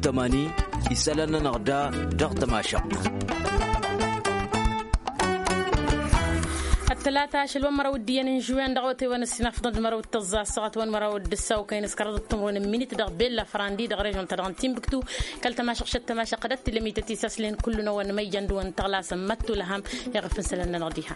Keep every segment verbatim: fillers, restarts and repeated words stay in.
Tămani isălan-nănăɣ da dăɣ-tămašăɣt. Ăttălata ašăl wa n-măraw d-iyyăn n-žuwen dăɣ-awătay wa n-ăssinafḍăn d-măraw d-tăẓẓa ăssaɣăt wa n-măraw d-ǝssaw kăyăn s-kăraḍăt timrun n-minit dăɣ-bella fărandi dăɣ-režon-ta-dăɣ n-timbuktu. Kăl-tămašăɣ šăt tămašăɣ d-ăttǝlăm ităt isaslen kullu n-a-wa n-măyjăn d-wa n-tăɣlasăn măttulăhăm. Iɣăf n-isălan-nănăɣ diha.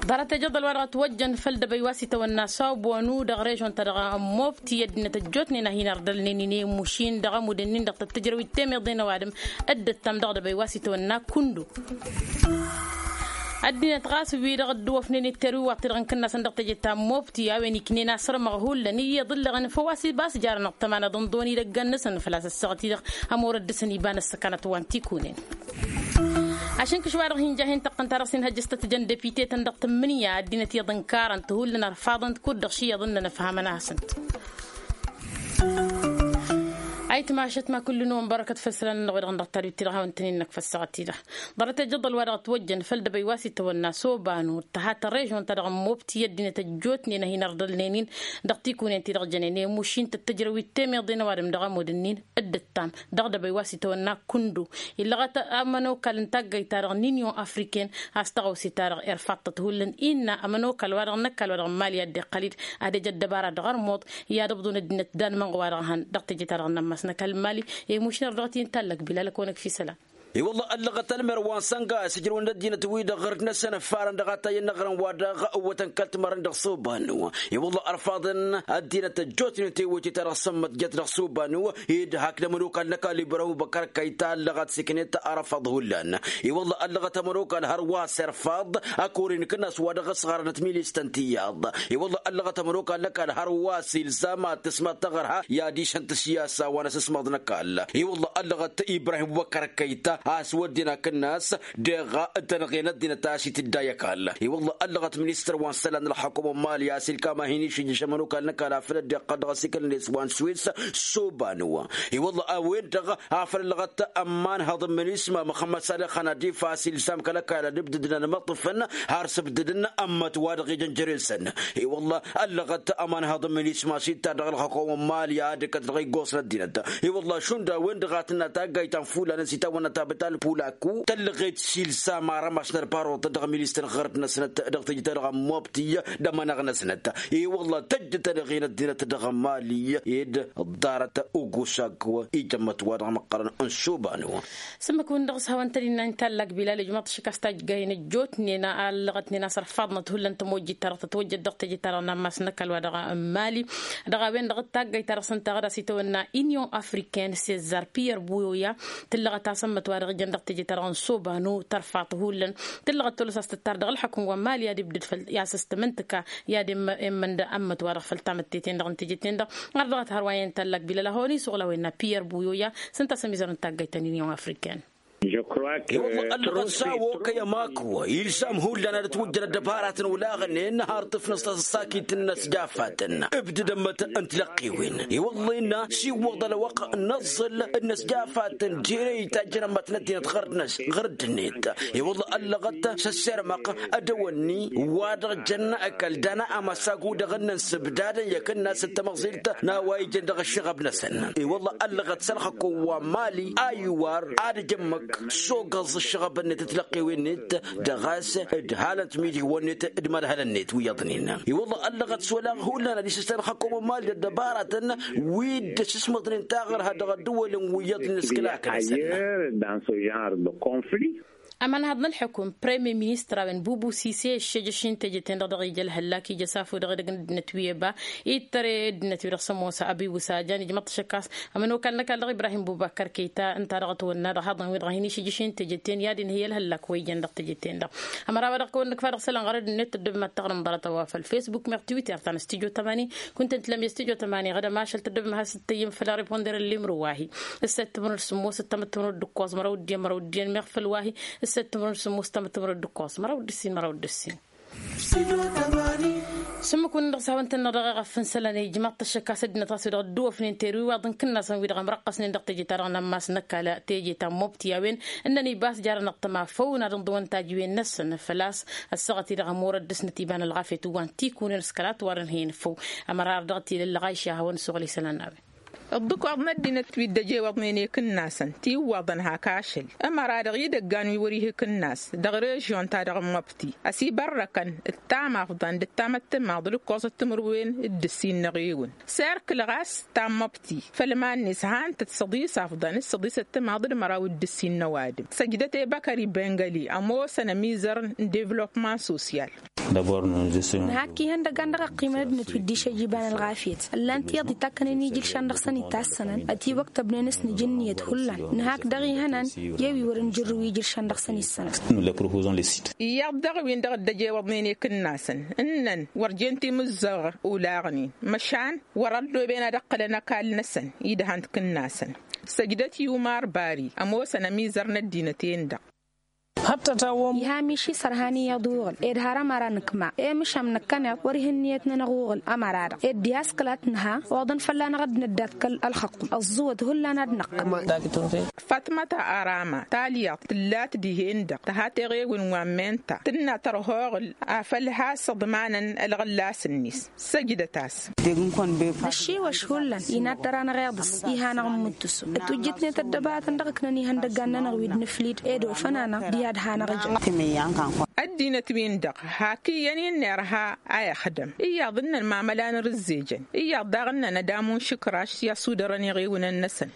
Ḍarăt ejăḍăl wa dăɣ-ătwăjjăn făll-dăbăy wa s-itawănna s-obonu dăɣ-režon-ta-dăɣ n-mobti ăddinăt ăjjootnen a hin-ărḍălnen-in i-mušin dăɣ-ămud-nin dăɣ-tăt-tǝjrăwit temeḍe n-ăwadǝm. Dd-ăttam dăɣ-dăbăy wa s-itawănna kundu. Ăddinăt ɣas wi-dăɣ ăddǝwăfnen itterwi wa t-dăɣ-n kǝnnasăn dăɣ-teje ta n-mobti a-wen iknen asărmăɣ hullan iyyăḍ ǝllăɣăn făw a-s ibas jarăn ăṭṭămanăḍ n-dăɣ-wăn idăggan-năsăn făl-a-s ăssaɣăt-i-dăɣ ămorăt dăɣ-săn iba n-ăssăkanăt wa n-tikunen. Ašǝnkǝš wa dăɣ-hin-ja hin-tăqqăn ta dăɣ-s inhăjjăs tăt-tǝjăn depite-tăn dăɣ-tǝmmǝnǝya ăddinăt iyyăḍ ǝnkarăn-t hullan ărfaḍăn-t kud-dăɣ šiyăḍ ǝnnăn ăfhamăn-asăn. Ayǝtmašăt ma kullu-năwăn bărăkăt făll-isălan-nănăɣ-wi-dăɣ n-dăɣ-tadwit-ti-dăɣ hawăn-tăn-in-năkk făll-săɣăt-ti-dăɣ. Ḍarăt ejăḍăl wa dăɣ-ătwăjjăn făll-dăbăy wa s-itawănna s-obanu tăha tăr-režon-ta-dăɣ n-mobti ăddinăt ăjjootnen a hin-ărḍălnen-in dăɣ-tikunen ti-dăɣ jănen i-mušin tăt-tǝjrăwit temeḍe n-ăwadǝm dăɣ-ămud-nin. Dd-ǝttam dăɣ-dăbăy wa s-itawănna kundu illăɣăt ămănokal n-taggayt-ta-dăɣ n-inyon afriken a-s tăɣawse-ta-dăɣ irfaḍ-tăt hullan innă ămănokal wa dăɣ-năkk a-wa dăɣ-n mali ad-dd-iqqăl-dd ad-ejăt dăbara dăɣ-ărmuḍ i-ad-ǝbḍun ăddinăt danmănɣ wa dăɣ-hăn dăɣ-teje-ta-dăɣ n-ammas n-ăkall n-mali. I-mušner dăɣ-t-i n-tallăk bila lăkăwăn-ăkf isălan. I-wălla ăllăɣăt ălmer wa n-sănga s-ǝjrǝwăn d-ăddinăt-wi-dăɣ ɣărăt-năsăn ăffarăn dăɣ-atay ănnăɣrăn wa dăɣ-ǝwwătăn kăl-timărăn dăɣ-subanu. I-wălla ărfaḍăn ăddinăt ăjjootnen tewăyte-ta-dăɣ sămmăt jăt dăɣ-subanu ed hak d-ămănokal n-ăkall ibrahim băkăr kăyy ta ăllăɣăt s-iknet arăfaḍ hullan. I-wălla ăllăɣăt ămănokal hărwa s-irfaḍ ăkori n-kănnas wa dăɣ-ăsɣarăn ătmilis-tăn tiyyăḍ. I-wălla ăllăɣăt ămănokal n-ăkall hărwa s-ilzam ad-tǝsmăḍ taɣărha i-ad-išhăn tǝsyasa wa n-asǝsmăḍ n-ăkall. I-wălla ăllăɣăt ibrahim băkăr kăyy ta a-s wădden akǝnnas deɣ tănɣe n-ăddinăt a-s itǝdday ăkall. I-wălla ăllăɣăt ministăr wa n-isălan n-ălxukum n-mali a-s ilkam a hin-išǝjjǝš ămănokal n-ăkall afăl dd-iqqăl dăɣ-asikăl-net wa n-swis s-obanu. I-wălla a-wen-dăɣ afăl ăllăɣăt ămmanhăḍ n-minisma măxămmăd salăx ănadif a-s ilsam kăl-ăkall ad-ǝbdǝdăn ălmăṭṭǝfăn har s-ǝbdǝdăn ămmăt wa dăɣ-ijăn jere-săn. I-wălla ăllăɣăt ămanhăḍ n-minisma s-ittar dăɣ-ălxukum n-mali ad-ǝkkăt dăɣ-iggoẓ n-ăddinăt. I-wălla šund a-wen-dăɣ a tǝnna taggayt ta n-fulanăn s-itawănna tabăt alpulaku tăllăɣet s-ilsam arămas n-ălbaruḍ dăɣ-ministăr ɣărăt-năsnăt dăɣ-teje-ta-dăɣ n-mobti d-ămănăɣ-năsnăt. I-wălla tăjj tanăɣe n-ăddinăt dăɣ-mali ed ḍarăt ugusag ijămmăt wa dăɣ-măqqărăn n-suban. Sǝmmǝk-wǝn dăɣ-s hawăn-tăn-innă n-tallak bilal ijmaḍ-t ašăk a-s tajjăyăn ăjjootnen a ăllăɣătnen a-s ărfaḍnăt hullan tămojjit-ta-dăɣ tătwăjjăd dăɣ-teje-ta-dăɣ n-ammas n-ăkall wa dăɣ-mali. Dăɣ-a-wen-dăɣ d-taggayt-ta-dăɣ s-ǝnta ɣǝd a-s itawănna union africaine cezar pierre buyoya. Tǝllăɣăt asămmăt wa dăɣ-ijăn dăɣ-teje-ta-dăɣ n-sobanu tărfaḍ hullan. Tǝllăɣăt tolăs a-s tǝttar dăɣ-ǝlḥăkǝm wa n-mali i-ad-ibdǝd făll-i-as s-tămǝntǝka i-ad-immănda ămmăt wa dăɣ-făll-tamǝtte-ten-dăɣ n-teje-ten-dăɣ. Ɣar dăɣ-a tǝhăr wa iyyăn tallak bilal a hawăn-isuɣǝl a-wen n-a pierre buyoya s-ǝnta a-s ămizăr n-taggayt ta n-union africaine. I-wălla ăllăɣăt s-a-wăkăy ămakwa ilsam hullan ad-ătwǝjjăn ăddăbaratăn olaɣnen har tǝfnăs tasăssakit n-inăsjafatăn ǝbdǝd ămmăt n-tilăqqiwen. I-wălla innă s-iwwăḍ ălwăqq n-aẓẓǝl n-inăsjafatăn jere itajjăn ămmăt n-ăddinăt ɣăr-dd-net. I-wălla ăllăɣăt s-ăssirmăɣ ădăwănni wa dăɣ-jăn ăkall dana amăsag-wi-dăɣ ǝnnăn s-ǝbdadăn i-akǝnnas d-tamăẓilt n-a-wa ijăn dăɣ-ǝššăɣăb-năsăn. I-wălla ăllăɣăt s-ălxăkko wa n-mali a iwar ad-ǝjǝmmăk s-ogăẓ ǝššăɣăb-net d-tilăqqiwen-net dăɣ-a-s ǝdhalăn timidihwăn-net d-imărhălăn-net wi iyyăḍnen. I-wălla ăllăɣăt s-olaɣ hullan ad-isǝssan ălxăkko wa n-mali d-ăddăbaratăn wi dd-ăsǝsmăḍnen taɣărha dăɣ-ăddăwălăn wi iyyăḍnen s-kăla akǝnăsăn. Ămanhăḍ n-ălxukum premier ministăr a-wen bubu sise ǝššejăš-in teje-ten-dăɣ dăɣ-ija ălhăllak ija s-afo dăɣ-edăgg n-ăddinăt wi eba ittăre ăddinăt wi dăɣ-s ămoos abi wǝsajan ijmăḍ-t ašăk a-s ămănokal n-ăkall dăɣ-ibrahim bubakăr kăyta ǝnta dăɣ-ătwănna dăɣ-haḍăn wi-dăɣ a hin-išǝjjǝš-in teje-ten i-ad-inhǝy ălhăllak wa ijăn dăɣ-teje-ten-dăɣ. Ămăra wa dăɣ-kăwăn-nǝkfa dăɣ-isălan ɣărăd-net tăddobem ad-taɣrǝm ḍarăt-a-wa făll-facebook meɣ twitter ta n-stujo tămani kunta n-tilăm i-stujo tămani ɣădăm ašăl tăddobem ad-has-dd-tăyyǝm făll-ariponder ăllimru wa-hi. Ǝsset timǝrǝd sǝmmos ǝttămăt timǝrǝd d-ǝkkoẓ măraw d-iyyăn măraw d-iyyăn meɣ făll-wa-hi. Ǝsset timǝrǝd sǝmmos ǝttămăt timǝrǝd d-ǝkkoẓ măraw d-ǝssin măraw d-ǝssin. Sǝmmǝk-wǝnnin dăɣ-s hawăn-tăn-dăɣ dăɣ-eɣăf n-isălan ijmaḍ-t ăššăk a-s ăddinăt ɣas wi-dăɣ dd-ăwăfnen terwi iwaḍ n-kǝnnasăn wi-dăɣ ămrăqqăsnen dăɣ-teje-ta-dăɣ n-ammas n-ăkall teje ta n-mobti a-wen ǝnnăn ibas jarăn ăṭṭăma făw n-ad-ǝnḍǝwăn tajǝwen-năsăn făl-a-s ăssaɣăt-i-dăɣ ămorăt dăr-snăt iba n-ălɣafyăt wa n-tikunen s-kăla ătwarăn hen făw. Ămăra ar dăɣ-t-ila ăllăɣayša a hawăn-ăssoɣăl isălan a-wen. Ǝḍḍǝkoḍ n-ăddinăt wi dd-ăjewăḍnen i-ikǝnnasăn tiwwaḍăn hak ašăl ămăra-dăɣ idăggan wi wăr-ih ikǝnnas dăɣ-režyon-ta-dăɣ n-măbti ăsibărrăkăn d-tamafḍan d-tamăttămaḍ d-ǝkkoẓăt timǝrwen d-ǝssin n-eɣewǝn. Serkǝl ɣas ta n-măbti făll-iman-net han-tăt săḍis afḍăn s-săḍisăt timaḍ d-măraw d-ǝssin n-ăwadǝm săjdăt i-băkări bengăli ămoosăn ămizărăn n-devlopman sosyal. Nǝhak ihăndăgan dăɣ-ăqqimăn ăddinăt wi dd-išăjjǝban ălɣafyăt ǝllan tiyyăḍ itakkănen ijǝlšan dăɣ-săn itassănăn ătiwăktăbnen s-nǝj ǝnniyăt hullan. Nǝhak dăɣ-ihănan i-wi wăr-nǝjǝrrǝw ijǝlšan dăɣ-săn issănăt. Iyyăḍ dăɣ-win-dăɣ dd-ăjewăḍnen i-ikǝnnasăn ǝnnăn wăr jen timǝzzăɣ olaɣnen măšan wăr-ălloben ad-ǝqqǝlăn ăkall-năsăn idhan tikǝnnasăn. Săjdăt i-umar bari ămoosăn ămizăr n-ăddinăt-en-dăɣ. Iha miši sărhan iyyăḍ uɣǝl ed har ămăra nǝkma i-mǝšam năkkăneḍ wăr-ih ǝnniyăt-nănăɣ uɣǝl ămăra-dăɣ ed diha s-kăla t-nǝha oḍăn fălla-năɣ a dd-năddat kăl-ălxăqqum ăẓẓǝwăt hullan ad-năqqăm. Fatmăta arama talyaḍt tǝllat dihen-dăɣ tăha teɣewǝn wa n-menta tǝnna tărha oɣǝl afăl has-ǝḍmanăn ălɣǝllas-net. Săjdăt-as. Năššiwăš hullan inaddăr-anăɣ iḍǝs iha-năɣ n-imǝttǝsu ătwǝjjǝtnet ăddăbaratăn dăɣ-ǝknăn ihăndăggan-nănăɣ wi dd-nǝflid ed ofăn-anăɣ diha d-hanăɣ-ǝjăn. Ăddinăt-win-dăɣ hak iyyăn-in n-irha a ixdăm iyyăḍ ǝnnăn mamăla n-irǝzzejăn iyyăḍ daɣ ǝnnăn ad-amun šǝkraš i-asudărăn iɣiwǝnăn-năsăn.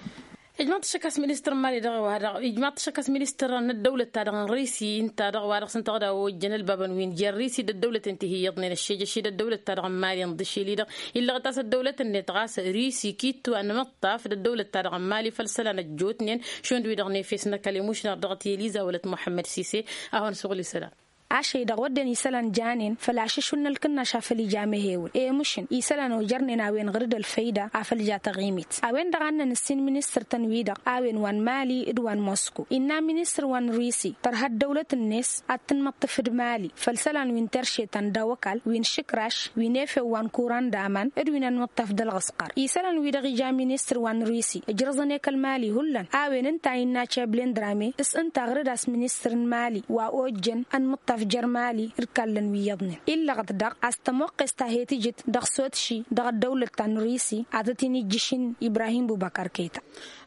Ijmaḍ-t ašăk a-s ministăr n-mali dăɣ-wa-dăɣ ijmaḍ-t ašăk a-s ministăr n-ăddăwlăt-ta-dăɣ n-risi ǝnta dăɣ-wa-dăɣ s-ǝnta dăɣ-ojjăn ălbabăn wi n-jer-risi d-ăddăwlăt ǝnta hi-iyyăḍnen ăššejăš-i d-ăddăwlăt-ta-dăɣ n-mali ǝnḍǝšil-i-dăɣ. Illăɣăt a-s ăddăwlăt-net ɣas risi kittu anmǝṭṭaf d-ăddăwlăt-ta-dăɣ n-mali făll-isălan ăjjootnen šund-wi-dăɣ n-efes n-ăkall imušnar dăɣ-tiliza wălăt muḥămmăd sise. A hawăn-suɣǝl isălan. Ašăy-dăɣ wădden isălan janen făll-ašǝšul n-ălkǝnnaš afăl ija mehewǝl i-mǝšǝn isălan ojărnen a-wen ɣǝr-dd ălfăyda afăl ja taɣimit a-wen-dăɣ a ǝnnăn ǝssin ministăr-tăn-wi-dăɣ a-wen wa n-mali d-wa n-mosko innă ministăr wa n-risi tărha ăddăwlăt-net ad-tǝnmăṭṭǝf d-mali făll-isălan wi n-terše ta n-dawăkal wi n-išǝkraš wi n-efew wa n-kuran d-aman d-wi n-ănmǝṭṭaf d-ălɣǝsqăr isălan-wi-dăɣ ija ministăr wa n-risi ǝjrăẓăn ekăl mali hullan a-wen ǝnta a innă ceblen drame s-ǝnta ɣǝr-dd a-s ministăr n-mali wa ojjăn ănmǝṭṭaf jer-mali d-kallăn wi iyyăḍnen illăɣăt daɣ a-s tămoqqes ta he-tǝjǝt dăɣ-sotši dăɣ-ăddăwlăt ta n-risi ad-tăt-in-ijjǝšin ibrahim bubăkăr keta.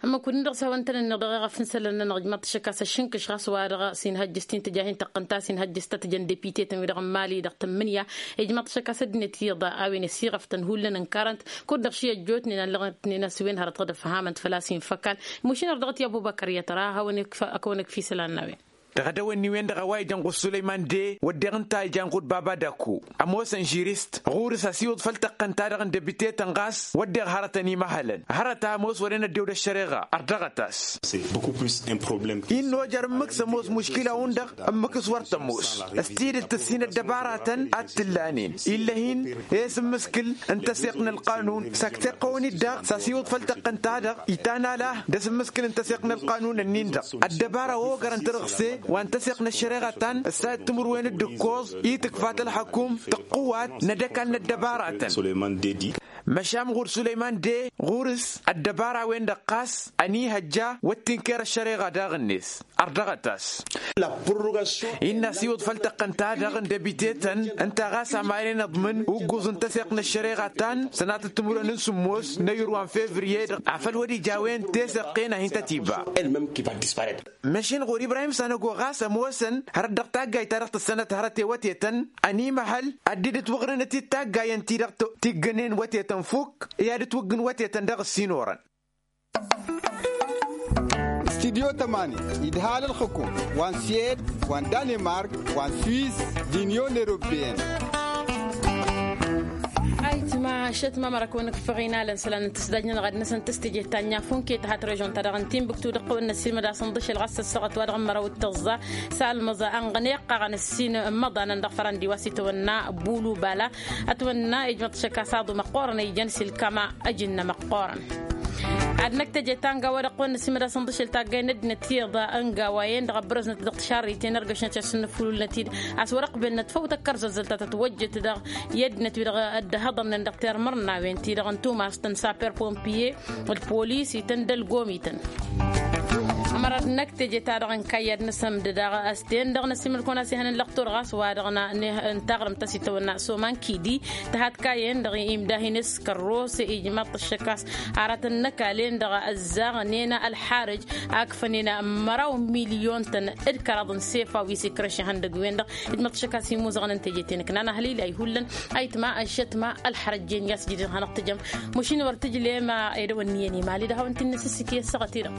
Ămmăk-wǝdǝn-dăɣ s-hawăn-tăn-ǝnniɣ dăɣ-eɣăf n-isălan-nănăɣ ijmaḍ-t ašăk a-s ăššǝnkǝš ɣas wa-dăɣ s-inhăjjǝs ti n-tǝjahint tăqqǝnta s-inhăjjǝs ta tǝjăn depite-tăn-wi-dăɣ n-mali-dăɣ tǝmmǝnǝya. Ijmaḍ-t ašăk a-s ăddinăt iyyăḍ a-wen ăsiɣăf-tăn hullan ǝnkarăn-t kud-dăɣ ši ăjjootnen a ǝllăɣătnen a-s wen hărăt ɣǝd-ăfhamăn-t făl-a-s infa ăkall. Imušin ărdăɣăt i-ăbubăkăr i-ad-tăra ad-hawăn-ikf-ad-hawăn-ikf isălan n-a-wen. Dăɣ-edăwănni-wen-dăɣ a-wa ijăn ɣur-sulăyman de wădden ǝnta a ijan kud baba daku ămoosăn žirist ɣur-s ăsiwǝḍ făll-tăqqǝnt-ta-dăɣ n-debite-tăn ɣas wădden hărătăn imăhălăn hărăt a ămoos wăren ăddew d-ăššăreɣa. Ărdăɣăt-as. Innă ojăr ǝmmǝk s-ămoos muškila-wǝn-dăɣ ǝmmǝk s-wăr tămoos s-tidǝt tǝssin ăddăbaratăn ad-t-ǝllanen ill'-e-hin i-asǝmmǝskǝl n-taseɣt n-ălqanun s-ak tiqqăwăn-dd-dăɣ s-asiwǝḍ făll-tăqqǝnt-ta-dăɣ itan ala d-asǝmmǝskǝl n-taseɣt n-ălqanun-ǝnnin-dăɣ ăddăbara wa ogărăn tărǝɣse wa n-taseɣt n-ăššăreɣa ta n-ǝssayăt timǝrwen d-ǝkkoẓ i-tǝkfat ălxăkum tǝqqǝwat n-ad-ăkall n-ăddăbaratăn. Măšan ɣur-sulăyman de ɣur-s ăddăbara-wen-dăɣ ɣas ănihăjja wăr t-inker ăššăreɣa daɣ-net. Ărdăɣăt-as. Innă asiwǝḍ făll-tăqqǝnt-ta-dăɣ n-debite-tăn ǝnta ɣas amaren ǝḍmǝn ugguẓ n-taseɣt n-ăššăreɣa ta n-sănatăt timǝrwen n-sǝmmos n-ayǝr wa n-fevriye-dăɣ afăl wăr-ija a-wen teseɣt-en a hin-tăt-iba. Măšin ɣur-ibrahim s-anăgo ɣas ămoosăn hărăt dăɣ-taggayt-ta-dăɣ tǝssănăt hărăt i-wătetăn ănimăhăl ad-dd-ǝtwăɣrǝnăt-dd taggayen-ti-dăɣ tiggănen wătetăn fukk i-ad-ǝtwǝggǝn wătetăn dăɣ-ǝssin orăn. Studyo tămani idhal ălxǝkum wa n-swed wa n-danemark wa n-swiss d-inyon europeyăn. Ayǝtma ašăt ma măra kăwăn-ǝkfăɣ inalăn isălan n-tǝsdaj-nănăɣ ad-năsăn tǝstǝjet ta n-inyafun ket hat režon-ta-dăɣ n-tinbǝktu dăɣ-kăwăn-năssilmăd a-s ǝnḍǝšel ɣas ăssaɣăt wa dăɣ-măraw d-tăẓẓa s-almăẓa ănɣăn iqqaɣăn ǝssin n-imăḍanăn dăɣ-fărăndi wa s-itwănna bulu bala. Ătwănna ijmăḍ šăkk a-s aḍu măqqoorăn a ijăn s-ilkama ăjǝnna măqqoorăn. Ad-năkk teje ta n-gawa dăɣ-kăwăn-năsimăd a-s ǝnḍǝšel taggay n-ăddinăt tiḍa n-gawa-en-dăɣ ăbrăznăt dăɣ-tišarriten ărgăšnăt i-ad-sǝnnǝfululnăt-dd a-s wăr-ăqbelnăt făw tăkkărzăzzăl ta tătwăjjăt dăɣ-i ăddinăt-wi-dăɣ dd-hăḍărnen dăɣ-termărnawen-ti-dăɣ n-tumast n-saper pompiye d-polis-ităn d-ălgomităn. Ărăt n-ăkk teje-ta-dăɣ n-kayyad n-asămdăd a ăsten-dăɣ n-ăsimăl-kăwăn a-s ihănăn lăqtor ɣas wa-dăɣ n-tăɣrǝmt a-s itawănna s-oman kidi tăhat kayyen-dăɣ imdahin s-kărrose ijmaḍ-t ăššăk a-s aratăn n-ăkall-en-dăɣ ăzzaɣnen ălxarǝj akfănen măraw milyon-tăn d-kăraḍ n-sefa wi s-ikrăš ihăndăgg-wen-dăɣ. Ijmaḍ-t ăššăk a-s imuzăɣăn n-teje-ten ǝknan ăhlilayy hullan ayǝtma ăššătma ălxărăjjen i-a-s jidǝn hanăɣ-tǝjăm. Măšin wăr tǝjlem edăwănniyăn imali d-ahawăn-t-in-nǝsǝssǝk i-ăssaɣăt-i-dăɣ.